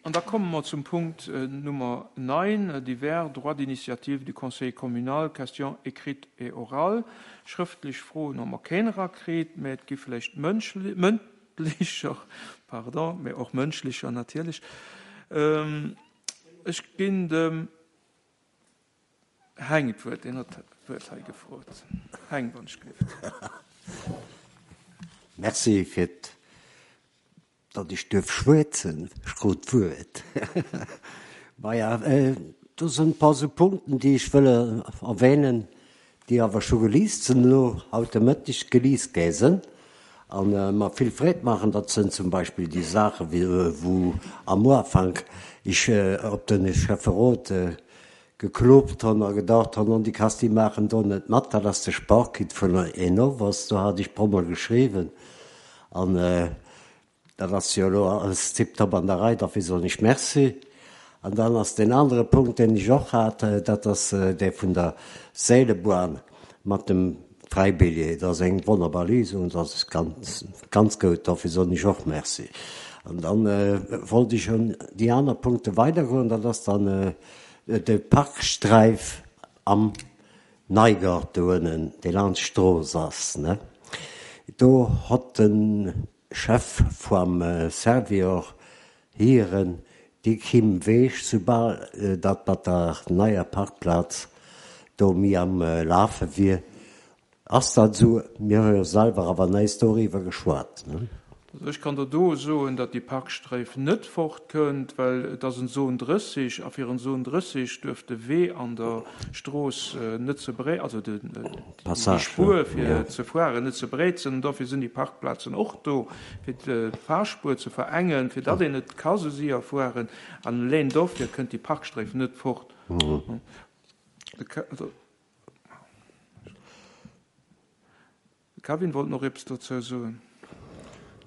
An da komme mer zum Punkt Nummer 9, Divers droits d'initiative du Conseil communal, questions écrites et orales. Schrëftlech Froen hu mer keen erakritt, mä et gi vläicht mëndlecher, pardon, mä och mënschlecher natierlech. Ech ginn dem Heng d'Wuert, deen huet d'Wuert hei gefrot. Heng, wann ech gelift. Merci fir Datt ech duerf schwätzen, ech krut d'Wuert. Maja, do sinn e paar sou Punkten, déi ech wëll erwähnen, déi awer scho geliest sinn elo, haut de Mëtteg geliest gi sinn a mer vill Freed maachen. Dat sinn zum Beispill déi Saache wou am Ufank ech op de Schäfferot geklopt hunn a gedacht hunn, oh déi Kasti maachen do net mat, dat ass de Sparkit vun Enovos, do hat ech e puermol geschriwwen an dat ass jo elo alles tiptop an der Rei, derfir soen ech Merci. An dann ass deen anere Punkt, deen ech och hat, dat ass dee vun der Seelebahn mat dem Fräibilljee. Dat ass eng wonnerbar Léisung, dat ass ganz, ganz goud, dofir soen ech och Merci. An dann wollt ech un déi aner Punkte weidergoen, dat ass dann De Parksträif am Neigart do ënnen, dee laanscht d'Strooss ass, ne, do hott de Chef vam Servior hieren déi Kim Weech, soubal dat mat der neier Parkplaz do mi am Lafe wier, Ass dat esou? Mir hu jo selwer awer näisst doriwwer geschwat. Also ech kann der do soen, datt déi Parksträif net fortkënnt, well et ass en Zone 30 a fir en Zone 30 duerf de Wee an der Strooss net ze bree, also déi Spuer fir ze fueren net ze breet sinn. An dofir sinn déi Parkplazen och do, fir d'Fahrspuer ze verengen, fir datt een net ka sou séier fueren. An eleng dofir kënnt déi Parksträif net fort. De Kevin wollt nach eppes dozou soen.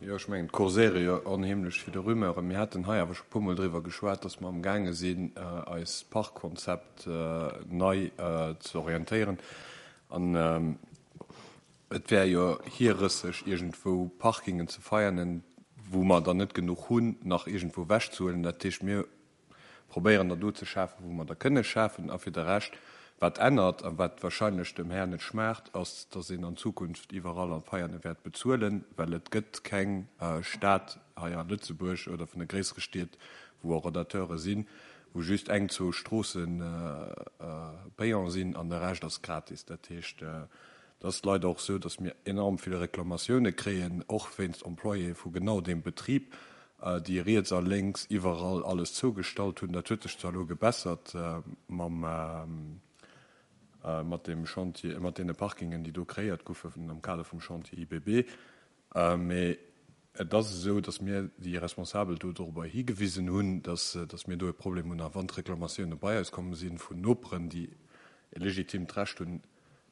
Jo, ech mengen, et kurséiere jo onheemlech ville Rumeuren. Mir haten hei awer scho e puermol driwwer geschwat, dass mer amgaange sinn, eist Parkkonzept nei ze orientéieren. An et wär jo hierrësseg, iergendwou Parkingen ze feiernen, wou mer der net genuch hunn, nach iergendwou ewechzehuelen. Dat heescht, mir probéieren der do ze schafen, wou mer der kënne schafen. A fir de Rescht, wat ännert a wat wahrscheinlech dem Här net schmaacht, ass, dass een an Zukunft iwwerall an Veiane wäert bezuelen, well et gëtt keng Stad hei a Lëtzebuerg oder vun de gréissere Stied, wou Horodateure sinn, wou just eng, zwou Stroosse payant sinn an de Rescht ass gratis. Dat heescht, Et ass leider och esou, dass mir enorm vill Reklamatioune kréien, och wéinst Employéë vu genau deem Betrib, déi riets a lénks iwwerall alles zougestallt hunn. Dat huet sech zwar elo gebessert mam, mat deem Chantier, mat deene Parkingen, déi do kreéiert goufen am Kader vum Chantier IBB, mee et ass esou, dass mir déi Responsabel do dorobber higewisen hunn, dass, dass mir do e Problem hunn. A wann d'Reklamatioune bei eis komm si vun Noperen, déi e legitimt Recht hunn,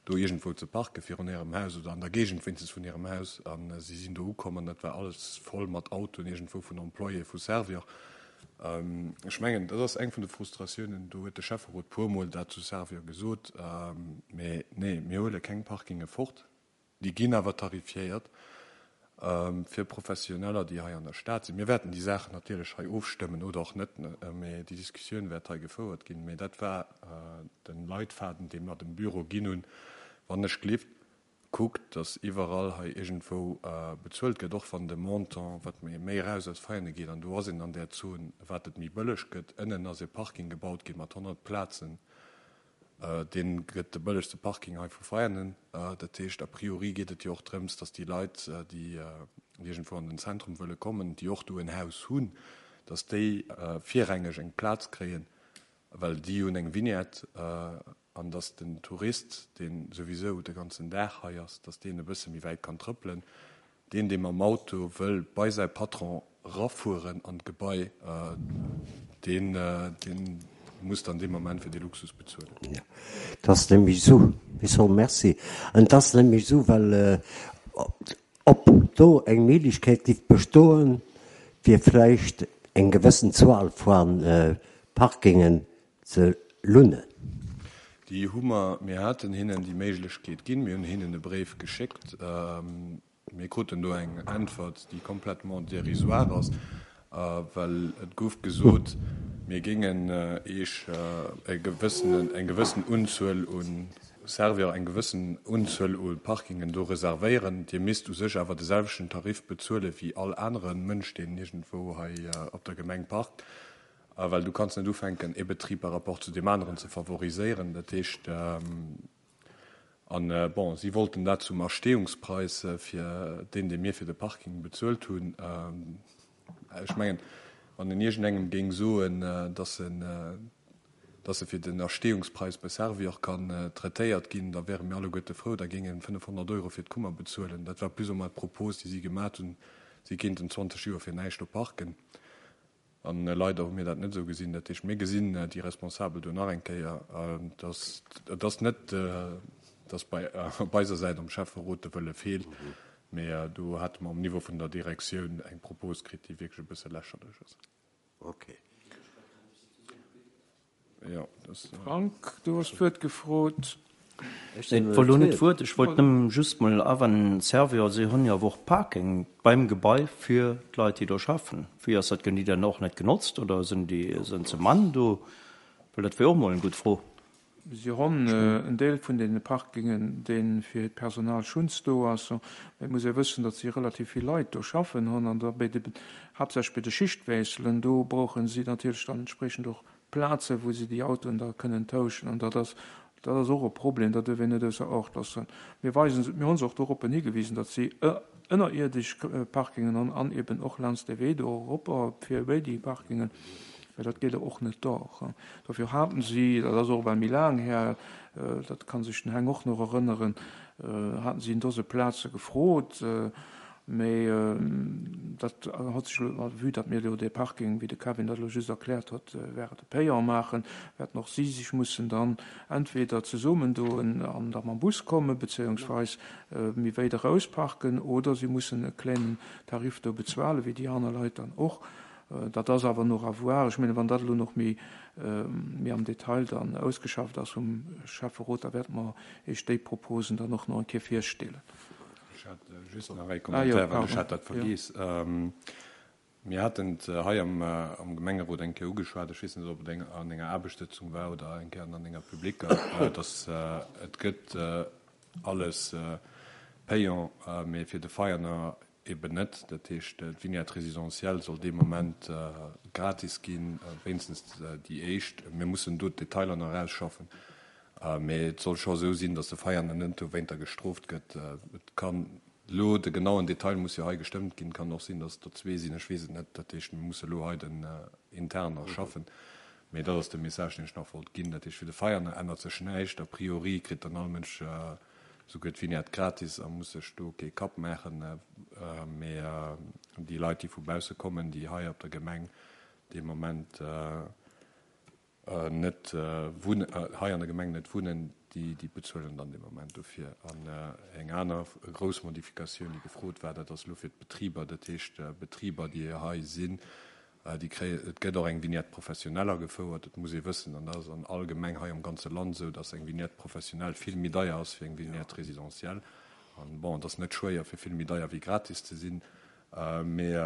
do iergendwou ze parken, virun hirem Haus oder an der Géigend wéinstens vun hirem Haus. A si sinn do ukomm an dat war alles voll mat Autoen iergendwou vun Employéë vu Servior. Ech mengen, dat ass eng vun de Frustratiounen. Do huet de Schäfferot puermol dat zu Servior gesot. Mee nee, mir huele keng Parkinge fort. Déi ginn awer tarifiéiert fir Professioneller, déi hei an der Stad sinn. Mir wäerten déi Saachen natierlech hei ofstëmmen oder och net, mee déi Diskussioun wäert hei gefouert ginn. Mee dat war de Leitfaden, dee mer dem Büro ginn hunn, Wann ech gelift, kuckt, datt iwwerall hei iergendwou bezuelt gëtt, och wann de Montant, wat méi méi eraus aus Veianen geet, an do ass een an där Zon, wat et méi bëlleg gëtt. Ënnen ass e Parking gebaut gi mat 100 Plazen. Dee gëtt de bëllegste Parking hei vu Veianen. Dat heescht, a priori geet et jo och drëms, datt déi Leit, déi iergendwou an den Zentrum wëlle kommen, déi och do en Haus hunn, datt déi virrangeg eng Plaz kréien, well déi hunn eng Vignette, an datt den Tourist, dee souwisou de ganzen Dag hei ass, datt deen e bësse méi wäit kann trëppelen. Deen, dee mam Auto wëll bei säi Patron rafueren an d'Gebai, deen, dee muss dann dee Moment fir dee Luxus bezuelen. Jo, et ass nämlech esou, ech soe Merci, et ass nämlech esou, well ob do eng Méiglechkeet géif bestoen, fir vläicht eng gewëssen Zuel vu Parkingen ze lunnen. Déi hu mer, mir haten hinnen déi Méiglechkeet ginn, mir hunn hinnen e Bréif geschéckt. Mir kruten do eng Äntwert, déi complètement dérisoire ass. Well et gouf gesot, mir géingen Eech e gewëssenen, eng gewëssen Unzuel u Servior, eng gewëssen Unzuel u Parkingen do reservéieren. Dir misst u sech awer de selwechten Tarif bezuele wéi all anere Mënsch, deen iergendwou hei op der Gemeng parkt. Well du kanns net ufänken, ee Betrib par rapport zu deem aneren ze favoriséieren. Dat heescht. An, bon, si wollten dat zum Erstehungspreis fir deen, dee mir fir de Parking bezuelt hunn. Ech mengen, wann een iergendengem géing soen, dass en, dass e fir den Erstehungspreis bei Servior kann traitéiert ginn, da wäre mir alleguerte frou, da géing e 500 Euro fir d'Kummer bezuelen. Dat war plus ou moins d'Propos, déi si gemat hunn. Si kéinten 20 Joer fir näischt do parken. An leider hu mir dat net esou gesinn. Dat heescht, mir gesinn déi Responsabel do nach eng Kéier. Dass, et ass net, dass bei, op eiser Säit am Schäfferot de Wëlle feelt, mee do hate mer um Niveau vun der Direktioun eng Propos kritt, déi wierklech e bësse lächerlech ass. Okay. Frank, du hues d'Wuert gefrot. Ech wollt elo net d'Wuert, ech wollt nëmmen just mol awennen, Servior, si hunn jo awer och Parking beim Gebai fir d'Leit, déi do schaffen. Wéi ass dat, ginn déi dann och net genotzt oder sinn déi, sinn ze mann do? Well dat wier och mol eng gutt Fro. Si honn en Deel vun deene Parkingen, dee fir hiert Personal schunns do ass. Mä et muss ee wëssen, datt si relativ vill Leit do schaffen honn an da bei de, haaptsächlech bei de Schichtwiesselen, do brauche si natierlech dann entspriechend och Plazen, wou se déi Autoen da kënnen tauschen. An dat ass, dat ass och e Problem, dat duerf een net ausser Acht loossen. Mir weisen se, mir hu se och doroppen higewisen, datt si ënnerierdesch Parkingen hunn an eben och laanscht de Wee do eropper fir wéi déi Parkingen, well dat geet och net dach. Dofir haten si, dat ass och ewell méi laang här, dat ka sech den Heng och nach erënneren, haten si en Dose Plaze gefrot. Mee dat hott sech elo, vue datt mir elo dee Parking, wéi de Kevin dat elo just erkläert huet, wäerte payant maachen, wäerten och si sech mussen dann entweder zesummendoen an da mam Bus kommen, bezéiungsweis méi wéit eraus parken, oder si mussen e kléinen Tarif do bezuelen, wéi déi aner Leit dann och. Dat ass awer nach à voir. Ech mengen, wann dat elo nach méi am Detail dann ausgeschafft ass vum Schäfferot, da wäerte mer Iech déi Proposen dann och nach eng Kéier virstellen. Ech hat just nach ee Commentaire, well ech hat dat vergiess. Mir haten et hei am Gemengerot eng Kéier ugeschwat, ech weess net, ob et an enger Aarbechtssëtzung war oder eng Kéier an enger publiquer, dass et gëtt alles payant, mee fir de Veianer eben net. Dat heescht, d'Vignette résidentielle soll dee Moment gratis ginn, wéinstens déi éischt. Mir mussen do d'Detailer nach ausschaffen. Mee et soll scho esou sinn, datt de Veianer net dowéinter gestrooft gëtt. Et kann elo, de genauen Detail muss jo hei gestëmmt ginn, et kann och sinn, datt et der zwee sinn, ech weess et net. Dat heescht, mir musse elo hei den intern nach schaffen. Mee dat ass de Message, deen ech nach wollt ginn. Dat heescht, fir de Veianer ännert sech näischt. A priori kritt dann all Mënsch souguer d'Vignette gratis a muss sech do kee Kapp maachen. Mee déi Leit, déi vu bausse kommen, déi hei op der Gemeng dee Moment, net wunnen, hei an der Gemeng net wunnen, déi, déi bezuelen dann dee Moment dofir. An eng aner grouss Modifikatioun, déi gefrot war, dat ass elo fir d'Betriber, dat heescht Betriber, déi hei sinn, déi kréien, et gëtt och eng Vignette professionnelle agefouert. Et muss ee wëssen, an dat ass an all Gemeng hei am ganze Land esou, dass eng Vignette professionnelle vill méi deier ass wéi eng Vignette résidentielle. An bon, et ass net schwéier, fir vill méi deier wéi gratis ze sinn, mee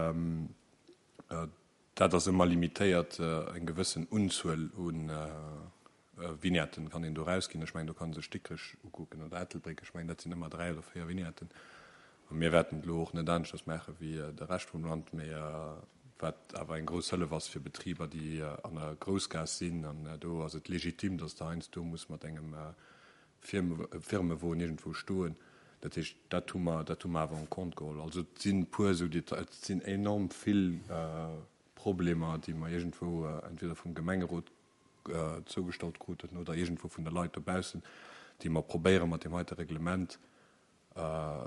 Dat ass ëmmer limitéiert, eng gewëssen Unzuel u Vignetten kann een do erausginn. Ech mengen, do kann ee sech Dikrech ukucken oder Ettelbréck. Ech mengen, dat sinn ëmmer dräi oder véier Vignetten. A mir wäerten et elo och net aneschters maache wéi de Rescht vum Land, mee wat awer eng grouss Hëllef ass fir Betriber, déi an der Groussgaass sinn. An do ass et legitim, datt de heiansdo muss mat engem Firmewon iergendwou stoen. Dat heescht, dat hu mer, dat hu mer awer en compte geholl. Also et sinn e puer esou Details, et sinn enorm vill Problemer, déi mer iergendwou entweder vum Gemengerot zougestallt kruten oder iergendwou vun de Leit dobaussen, déi mer probéiere mat deem heite Reglement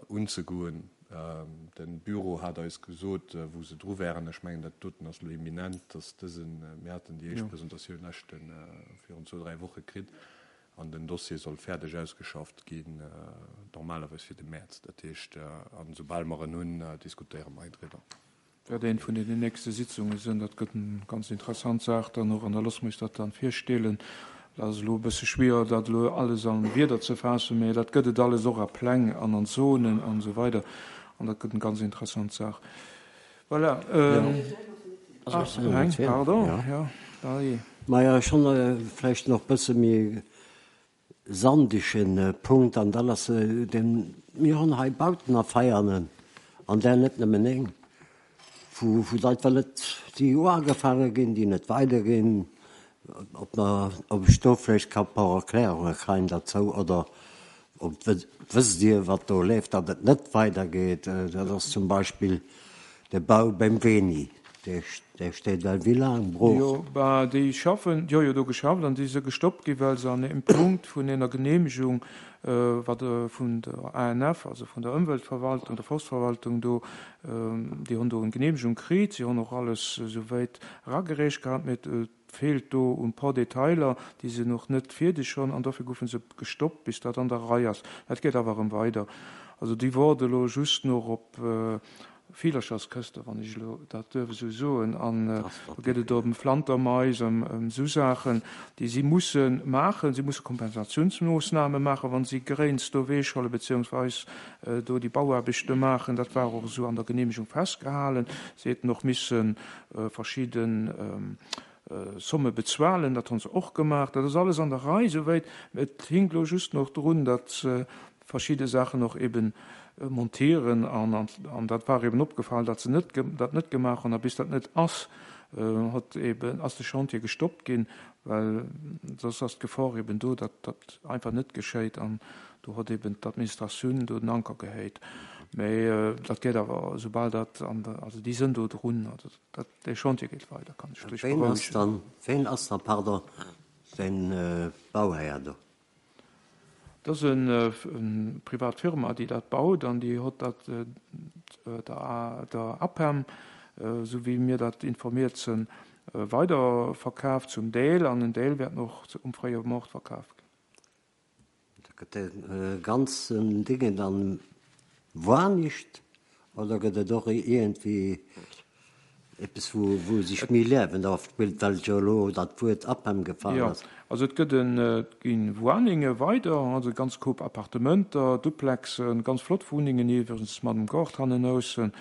unzegoen. De Büro hat eis gesot, wou se dru wären. Ech mengen, dat doten ass elo imminent, dass dësen, mir haten déi éischt Presentatioun leschten, virun zwou, dräi Woche kritt, An den Dossier soll fäerdeg ausgeschafft ginn, normalerweis fir de Mäerz. Dat heescht, an esoubal mer en hunn, diskutéiere mer hei driwwer. Wäert een vun deenen nächste Sitzunge sinn. Dat gëtt eng ganz interessant Saach dann och. An da loosse mer eis dat dann virstellen. Dat ass elo e bësse schwierer, dat elo alles a Wierder ze faassen, mä dat gëtt et alles och a Pläng an an Zonen an esou weider. An dat gëtt eng ganz interessant Saach. Voilà. Ah, eng, pardon, jo, dajee. Maja, ech hunn vläicht nach e bësse méi sandegen Punkt, an dat ass deen, mir hunn hei Bauten a Veianen, an där net nëmmen eng, wou wou d'Leit well net, déi uagefaange ginn, déi net weiderginn, ob mer, ob ech do vläicht ka e puer Erklärunge kréien derzou, oder ob wësst Dir, wat do leeft, datt et net weidergeet. Dat ass zum Beispill de Bau beim Veni, dee steet well wéi laang brooch? Jo, bah, déi schaffen, déi hu jo do geschafft an déi si gestoppt gi well se an engem Punkt vun enger Genehmegung, wat vun der ANF, also vun der Ëmweltverwaltung, der Forstverwaltung do, déi hunn do eng Genehmegung kritt, si hunn och alles esouwäit eragereecht gehat, mee et feelt do un paar Detailer, déi se nach net fierdeg hunn an dofir goufe se gestoppt, bis dat an der Rei ass. Dat geet awer erëm weider. Also déi woarde elo just nach op Villercherskëste, wann ech elo dat duerf esou soen. An do geet et ëm Flantermais, ëm esou Saachen, déi si musse maachen. Si musse Kompensatiounsmoossname maachen, wa si Gréins do ewechhuelen, beziehungsweis do déi Bauaarbechte maachen. Dat war och esou an der Genehmegung festgehalen. Si hätten och missen verschidde Somme bezuelen, dat hu se och gemaach. Dat ass alles an der Rei souwäit. Et hinkt elo just nach drun, datt se verschidde Saachen och eben montieren an dat war eben opgefall, datt se net dat net gemaach hunn. A bis dat net ass, huet eben ass de Chantier gestoppt ginn, well soss ass d'Gefor eben do, datt dat einfach net geschéit an do huet eben d'Administratioun do den Anker gehéit. Mä dat geet awer, soubal dat an der, also déi sënn do drun, also dat, dee Chantier geet weider, kann ech lech Ween ass dann, ween ass dann, pardon, den Bauhär do? Dat ass eng privat Firma, déi dat baut an déi hott dat der, der APEM, esou wéi mir dat informiert sënn, weiderverkaaft zum Deel an en Deel wäert och um fréie Moart verkaaft ginn. Da gëtt de ganzen Dingen dann woanischt oder gëtt et och iergendwéi eppes wou wou sech méi Liewen ofspillt, well jo elo dat Wuert APEM gefall Jo, ass? also et gëtt en, et gi Wuaninge weider, also e ganz Koup Appartementer, Duplexen, ganz flott Wunnengen iwwregens mat dem Gaart hannenaussen,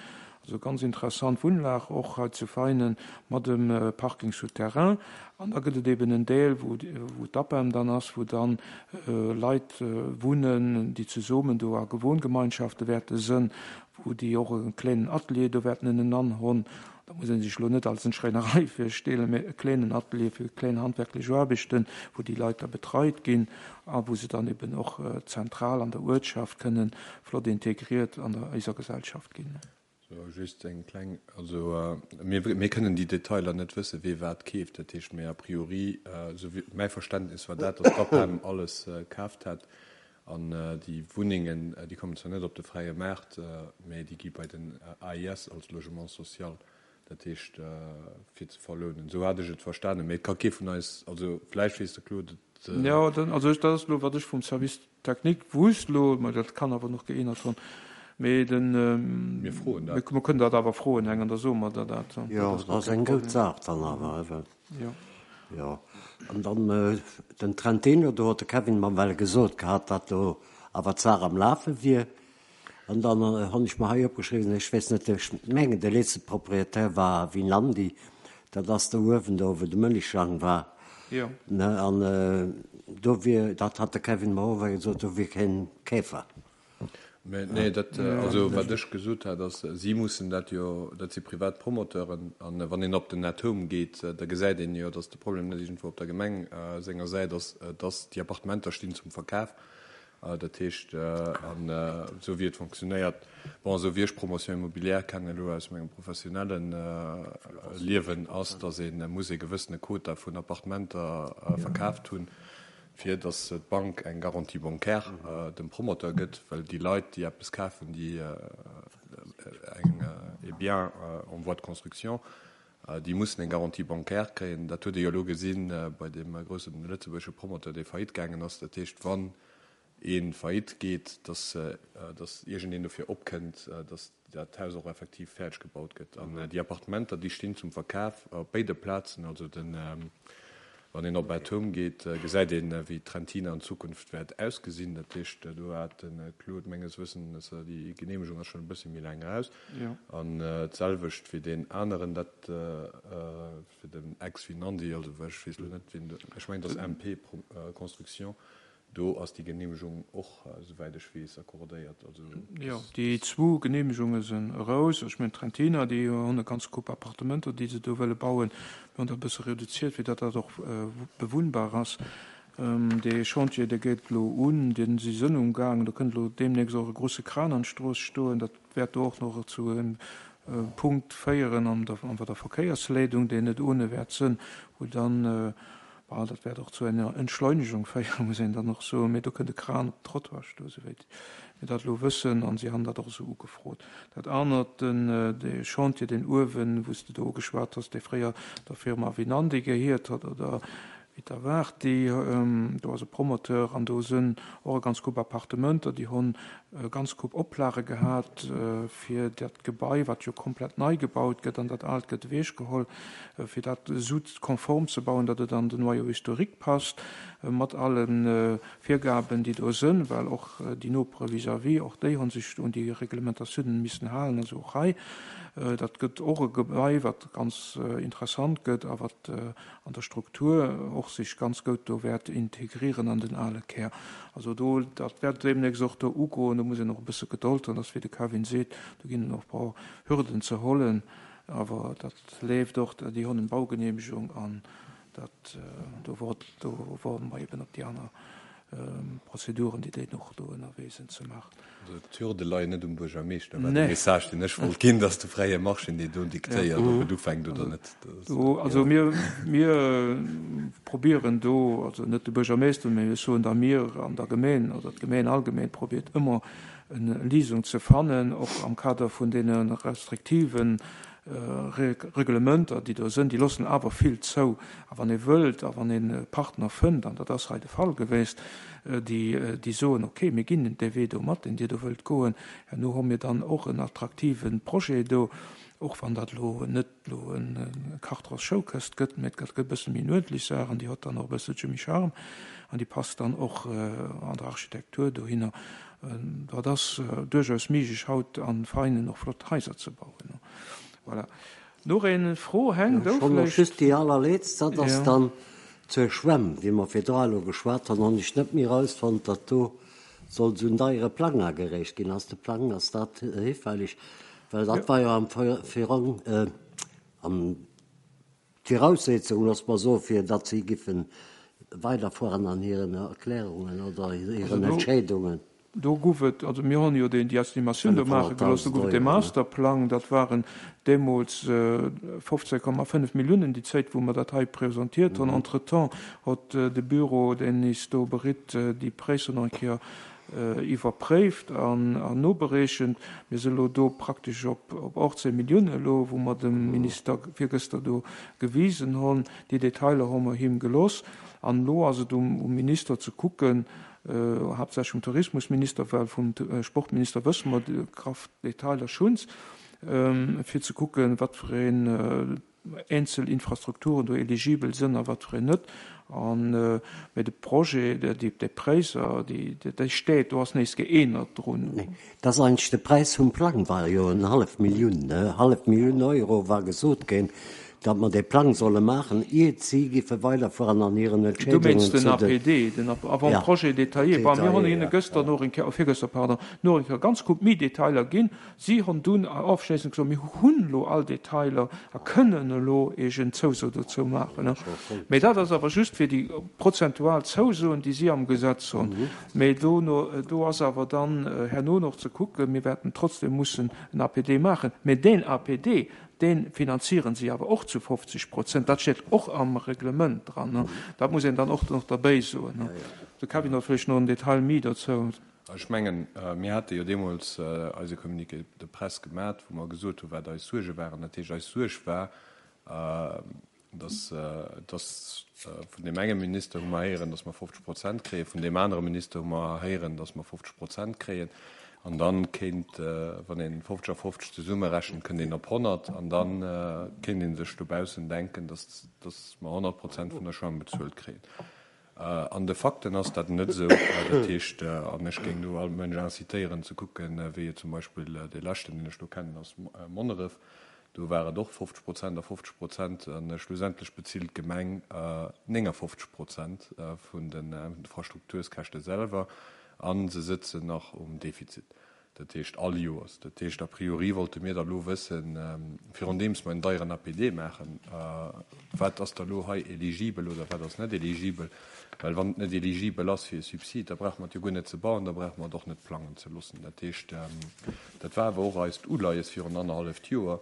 Also ganz interessant Wunnlag och hei zu Veinen mat em Parking souterrain. An da gëtt et eben en Deel, wou wou d'APEM dann ass, wou dann Leit wunnen, déi zesummen do a Gewohngemeinschafte wäerte sënn, wou déi och e kléinen Atelier do wäerten ënnenan honn. Da muss ee sech elo net als en Schréinerei virstellen, mä e kléinen Atelier fir kléin handwerklech Aarbechten, wou déi Leit da betreit ginn a wou se dann eben och zentral an der Uertschaft kënnen flott integriert an der eiser Gesellschaft ginn. So, just eng kleng, also mir, mir kënnen déi Detailer net wëssen, wee wat keeft. Dat heescht, mee a priori, esou wéi mäi Verständnis war dat, datt d'APEM alles kaaft hätt an déi Wunnengen, déi kommen zwar net op de fräie Maart, mee déi gi bei den AIS als Logement social, dat heescht fir ze verlounen. Esou hat ech et verstanen, mee et ka kee vun eis, also vläicht weess de Claude et. Jo, also dat ass elo, wat ech vum Service Technique wusst elo, mä dat kann awer nach geännert hunn, mee den, Mir froen dat. Mir kënnen dat awer froen, Heng, an da soe mer der dat. Jo, dat ass eng goud Saach dann awer, ewell. Jo. Jo, an dann den Trentino, do huet de Kevin mer well gesot gehat, datt do awer d'Saach am Lafe wier. An dann hunn ech mer hei opgeschriwwen, ech weess net, ech mengen de letzte Propriétaire war Winandy, dat ass do uewen do wou de Mëllechjang war. Jo. Ne, an do wier, dat hat de Kevin mer och gesot, do wier keen Käfer. Mä nee, dat, also wat ech gesot hat ass, si mussen dat jo, dat si privat Promoteuren, an wann een op den Net-Home geet, da gesäit een jo, datt de Problem net iergendwou op der Gemeng senger Säit ass, datt déi Appartementer stinn zum Verkaf. Dat heescht, an esou wéi et fonctionnéiert, bon, esou wéi ech Promotion immobilière kennen elo aus mengem professionelle Liewen, ass, datt ee muss ee gewëssene Quota vun Appartementer verkaaft hunn, fir datt d'Bank eng Garantie bancaire dem Promoteur gëtt, well déi Leit, déi eppes kafen, déi eng e Bien en voie de construction, déi mussen eng Garantie bancaire kréien. Dat huet ee jo elo gesi bei deem grousse lëtzebuergesche Promoteur, dee faillite gaangen ass. Dat heescht, wann ee faillite geet, datt datt iergendeen dofir opkënnt, datt dat Haus och effektiv fäerdeg gebaut gëtt. An déi Appartementer, déi stinn zum Verkaf op béide Plazen, also den. Wann een op Atom geet, gesäit een, wéi d'Trentina an Zukunft wäert ausgesinn. Dat heescht, do hat de Claude menges Wëssens, déi Geneemegung ass schonn e bësse méi laang eraus. An d'selwecht fir deen aneren, dat fir den Ex-Vinandy, also ech weess elo net, wien do, ech mengen, et ass MP Construction, Do ass déi Genehmegung och, esouwäit ech weess, accordéiert. Also Jo, déi zwou Genehmegunge sinn eraus. Ech mengen, d'Trentiner, déi hunn e ganze Koup Appartementer, déi se do wëlle bauen. Mir hunn dat e bësse reduziert, fir datt dat och bewunnbar ass. Dee Chantier, dee geet elo un, dee si sënn umgaangen. Do kënnt elo deemnächst och e grouse Kran an d'Strooss stoen. Dat wäert do och nach zu engem Punkt féieren an der Verkéiersleedung, deen net ohne wäert sënn, wou dann Bon, dat wäert och zu enger Entschleunegung féieren, muss een dann och soen. Mee do kënnt e Kran op den Trottoir stoen, souwéit mir dat elo wëssen, an si han dat och esou ugefrot. Dat anert, den, dee Chantier, deen uewen, wou s de do ugeschwat has, dee fréier der Firma Vinandy gehiert hat, oder Vitavarti, do ass e Promoteur an do sënn och e ganz Koup Appartementer, déi honn e ganz Koup Oplage gehat, fir dat Gebai, wat jo komplett nei gebaut gëtt, an dat aalt gëtt ewechgeholl, fir dat esou konform ze bauen, datt et an den Noyau historique passt, mat alle Virgaben, déi do sënn, well och déi Nopere vis-à-vis, och déi hu sech un déi Reglementatiounen missen halen, also och hei. Dat gëtt och e Gebai, wat ganz interessant gëtt a wat an der Struktur och sech ganz goud do wäert integrieren an den ale Kär. Also do, dat wäert deemnächst och do ugoen. Do muss een och e bësse Gedold hunn, dass, wéi de Kevin seet, do ginn och e paar Hürden ze hollen. Awer dat leeft och, déi hunn eng Baugenehmegung an dat, do do woarde mer eben op déi aner Prozeduren, déi déi och do ënnerwee sinn ze maachen. Also d'Hürde leien net um Buergermeeschter, war de Message, deen ech wollt ginn, dass de fräie Marché, deen do diktéiert, ob et ufänkt oder net. Also mir, mir probieren do, also net de Buergermeeschter, mä ech soen da mir an der Gemeen oder d'Gemeen allgemeen probiert ëmmer eng Lisung ze fannen, och am Kader vun deene restriktiven Reglementer, déi do sënn, déi loossen awer vill zou. A wann ee wëllt a wann een e Partner fënnt, an dat ass hei de Fall geweest, déi, déi soen, okay, mir ginn dee Wee do mat, deen Dir do wëllt goen, herno hu mir dann och en attraktive Projet do, och wann dat elo net elo e Kartrers Schoukëscht gëtt, mä et gëtt e bësse méi en uerdentlech Saach an déi huet dann och e bësselche méi Charme an déi passt dann och an der Architektur dohinner. Dat ass duerchaus méiglech haut an Veinen och flott Haiser ze bauen. Voilà. Nach eng Fro, Heng, du vläicht? Ech just déi allerletzт, dat ass dann zur Schwämm, wéi mer virdra elo geschwat hunn, hunn ech net méi erausfonnt, datt do soll esou en deiere Plang agereecht ginn. Ass de Plang, ass dat hifälleg? Well dat war jo am Virong, am D'Viraussetzung, loosse mer soen, fir datt si giffe weiderfueren an hiren Erklärungen oder hiren Entscheedungen. Do gouf et, also mir hunn jo déi Estimatioun do maache gelooss, do gouf et dee Masterplang, dat waren deemools 15,5 Milliounen, déi Zäit wou mer dat hei presentiert hunn. Entretemps huet de Büro, deen is do beritt, déi Präisser nach eng Kéier iwwerpréift an nobereechent. Mir si elo do praktesch op 18 Milliounen elo, wou mer dem Minister virgëschter do gewisen hunn. Déi Detailer hu mer him gelooss. An elo ass et um Minister ze kucken, haaptsächlech um Tourismusminister, well vum Sportminister wësse mer déi graff Detailer schunns, fir ze kucken, wat fir een eenzel Infrastrukturen do eligibel sënn a wat fir een net. An, mä de Projet, déi, déi Präisser, déi, déi steet, do ass näischt geännert drun. Nee, dat ass eigentlech de Präis vum Plang war jo en hallef Millioun, ne, hallef Millioun Euro war gesot ginn, datt mer dee Plang solle maachen, iert si giffe weiderfueren an hiren Du Entscheedungen mengs den zu den. APD, den Avant-projet détaillé. Bon, mir hunn hinne gëschter nach eng Kéier, virgëschter, pardon, nach eng Kéier ganz gutt méi Detailer ginn. Si hunn dunn ofschléissend gesot, Mir hunn elo all Detailer a kënnen elo Iech en Zouso dozou maachen. Mee dat ass awer just fir déi prozentual Zousoen, déi si am Gesetz hunn. Mee dono, do ass awer dann herno nach ze kucken, mir wäerten trotzdem mussen en APD maachen. Mee deen APD, dee finanzieren si awer och zu 50 Prozent. Dat steet och am Reglement dran. Dat muss een dann och nach derbäi soen. De Kevin huet vläicht nach en Detail méi dozou. Ech mengen, mir hate jo deemools eise Communiqué de presse gemat, wou mer gesot hu wat eis Suerge waren. Dat heescht, eis Suerg war, dass, dass vun deem enge Minister hu mer héieren, dass mer 50 Prozent kréien, vun deem anere Minister hu mer héieren, dass mer 50 Prozent kréien. An dann kéint, wann een 50 a 50 zesummerechent, kënnt een op 100. An dann kéint ee sech dobaussen denken, dass, dass mer 100 Prozent vun der Schwämm bezuelt kréien. An de Fakten ass dat net esou. Dat heescht, an ech géing do all Mënsch incitéieren ze kucken, wéi et zum Beispill dee leschten, deen ech do kennen, ass Monneref. Do war et och 50 Prozent a 50 Prozent. A schlussendlech bezilt d'Gemeng 59 Prozent vun den Infrastrukturskäschte selwer a se sëtzen nach um Defizit. Dat heescht all Joers. Dat heescht, a priori wollte mir da lo wëssen, virundeems mer en deieren APD maachen, wat ass da lo hei eligibel oder wat ass net eligibel. Well wann et net eligibel ass fir e Subsid, da brauche mer et jo guer net ze bauen, da brauche mer et och net plangen ze loossen. Dat heescht, dat war awer och eist Uleies virun annerhalleft Joer,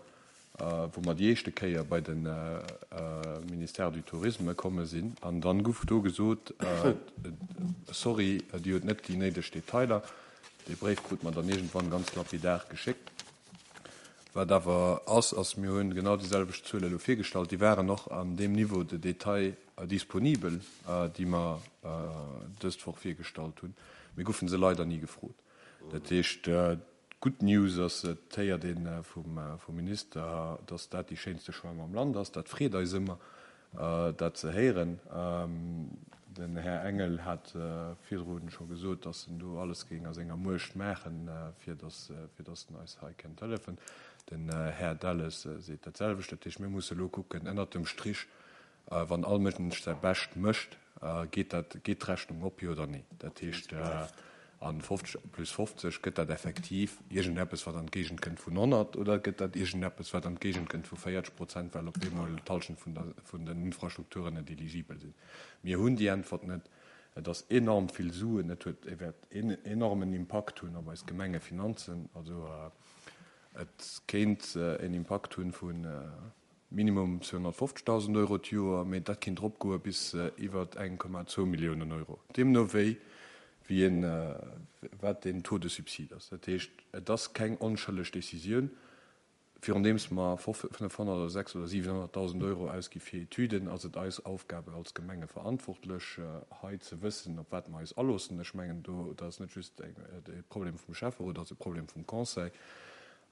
wou mer déi éischte Kéier bei de Ministère du Tourisme komme sinn. An dann guff do gesot, Sorry, Dir hutt net déi néideg Detailer. Dee Bréif krute mer dann iergendwann ganz lapidar geschéckt. Wat awer ass, ass, mir hunn genau déi selwecht Zuele elo virgestallt. Déi waren och an deem Niveau de détail disponibel, déi mer dëst Woch virgestallt hunn. Mir goufe se leider ni gefrot. Dat heescht, d'gutt News ass, et héiert ee vum Minister, datt dat déi schéinste Schwämm am Land ass. Dat freet eis ëmmer, dat ze héieren. Den Här Engel hat virdru scho gesot, datt en do alles géing a senger Muecht maachen, fir datt en eis hei kéint hëllefen. Den Här Delles seet dat selwecht. Dat heescht, mir musse elo kucken, ënnert dem Strich, Wann all Mënsch säi Bescht mécht, geet dat, geet d'Rechnung op, jo oder nee? Dat heescht, a 50 plus 50, gëtt dat effektiv iergendeppes, wat an d'Géigend kënnt vun 100, oder gëtt dat iergendeppes, wat an d'Géigend kënnt vu 40 Prozent, well op eemol d'Hallschent vun der, vun den Infrastrukturen net eligibel sinn? Mir hunn déi Äntwert net. Et ass enorm vill Suen. Et huet, e wäert en enormen Impakt hunn op eis Gemengefinanzen. Also et kéint en Impakt hunn vu Minimum 250.000 Euro d'Joer, mee dat kinnt eropgoe bis iwwert 1,2 Milliounen Euro, deemno wéi wéi een, wat den Taux de subside ass. Dat heescht, et ass keng onschëlleg Décisioun. Virundeems mer 500 oder 600 oder 700.000 Euro ausgi fir Etüden, ass et eis Aufgabe als Gemengeverantwortlech, hei ze wëssen, op wat mer eis aloossen. Ech mengen, do, dat ass net just e Problem vum Schäfferot, dat ass e Problem vum Conseil.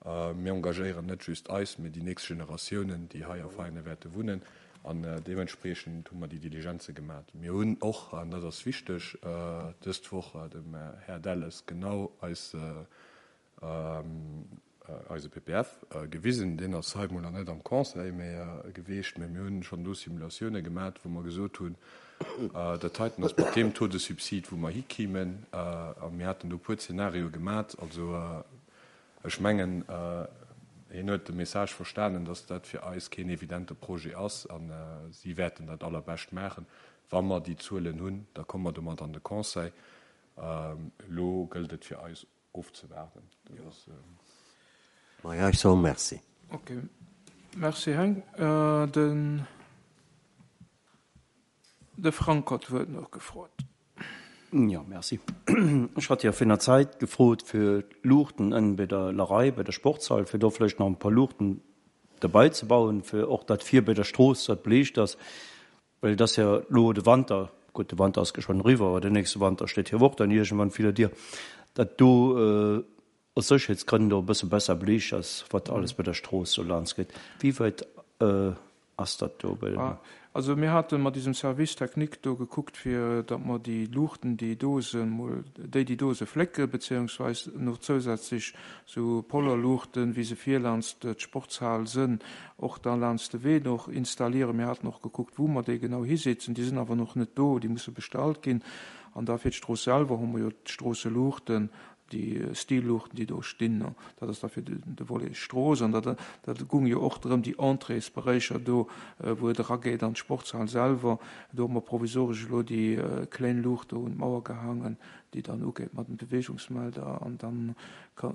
Mir engagéieren net just eis, mee déi nächst Generatiounen, déi hei a Veianen wäerte wunnen. An deementspriechend hu mer déi Diligenze gemat. Mir hunn och, an dat ass wichteg, dëst Woch dem Här Delles genau eis, eise PPF gewisen. Deen ass hei mol nach net am Conseil méi geweecht, mee mir hunn schonn do Simulatioune gemat, wou mer gesot hunn, dat heiten ass mat deem Taux de subside, wou mer hikimen. A mir haten do e puer Zenarioe gemat. Also Ech mengen, hien huet de Message verstanen, dass dat fir eis keen evidente Projet ass a si wäerten dat Allerbescht maachen. Wa mer déi Zuelen hunn, da komme mer domat an de Conseil. Elo gëllt et fir eis ofzewaarden. Maja, ech soe Merci. Ok, Merci Heng. Den. De Frank huet d'Wuert nach gefrot. Jo, merci. Ech hat jo virun der Zäit gefrot fir d'Luuchten ënnen bei der Lerei, bei der Sportshal, fir do vläicht nach e puer Luuchten derbei ze bauen, fir och dat vir bei der Strooss, dat beliicht ass, well et ass jo elo de Wanter, gutt, de Wanter ass geschwënn eriwwer, awer den nächste Wanter steet jo och dann iergendwann vir der Dier, dat do aus Sécherheetsgrënn do e bësse besser beliicht ass, wat alles bei der Strooss do laanscht geet. Wéi wäit ass dat do bei den. Also mir hate mat isem Service technique do gekuckt, fir datt mer déi Luuchten, déi do sinn, mol déi, déi do se flécke beziehungsweis nach zousätzlech sou Polarluuchten, wéi se vir laanscht d'Sportshal sënn, och da laanscht de Wee noch installieren. Mir haten och gekuckt, wou mer déi genau hisetzen. Déi sinn awer nach net do, déi musse bestallt ginn. An da fir d'Strooss selwer hu mer jo d'Stroosseluuchten, déi Stilluuchten, déi do stinn, dat ass da fir de Volet Strooss. An dat dat gung jo och drëm, déi Entréesberéicher do, wou et erageet an d'Sportshal selwer, do hu mer provisoresch elo déi kléin Luucht do un d'Mauer gehaangen, déi dann ugeet mat dem Beweegungsmelder. An dann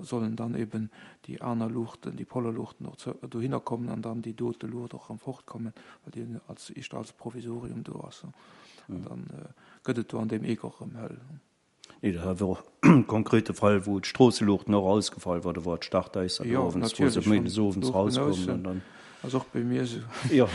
sollen dann eben déi aner Luuchten, déi Polarluuchten och dohinner kommen an dann déi dote Luucht och erëm fortkommen, well déi als éischter als Provisorium do ass. An dann gëtt et do an deem Eck och erëm hell. Nee, dat war och e konkrete Fall, wou d'Stroosseluuchten och ausgefall war. Do war d'Startäisser do owends, wou se méindes owends rauskoumen an dann. Ass och bei mir esou. Jo.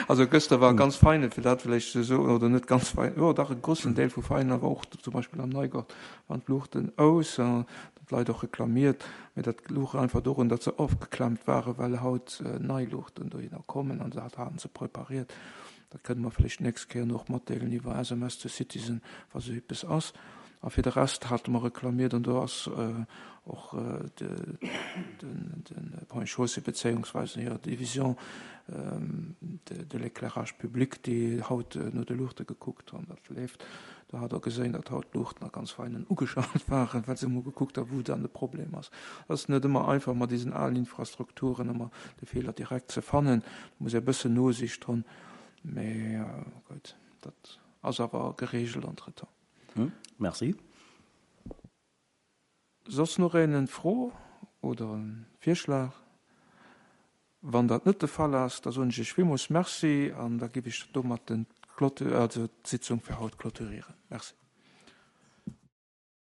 Also gëschter war ganz feine, fir dat vläicht ze soen, oder net ganz fein, jo dach e groussen Deel vu Veiner war och zum Beispill am Neigort waren d'Luuchten aus an d'Leit och reklamiert, mee dat louch einfach dorun, datt se ofgeklemmt waren, well haut nei Luuchten dohinner kommen an dat haten se prepariert. Dat kënne mer vläicht d'nächst Kéier och matdeelen iwwer SMS to Citizen, wa sou eppes ass. A fir de Rest hate mer reklamiert, an do ass och de Ponts et Chaussées bezéiungsweise hir Division de l'éclairage public, déi haut no de Luuchte gekuckt hunn, dat leeft. Do hat Der gesinn, datt haut d'Luuchten a ganz Veinen ugeschalt waren, well se emol gekuckt hu wou dann de Problem ass. Et ass net ëmmer einfach mat diesen alen Infrastrukturen ëmmer de Feeler direkt ze fannen. Do muss ee e bëssen Nosicht hunn, mee gutt, dat ass awer geregelt entretemps. Merci. Soss nach een eng Fro oder e Virschlag? Wann dat net de Fall ass, da soen ech Iech villmools Merci an da giff ech domat den also d'Sitzung fir haut clôturieren. Merci.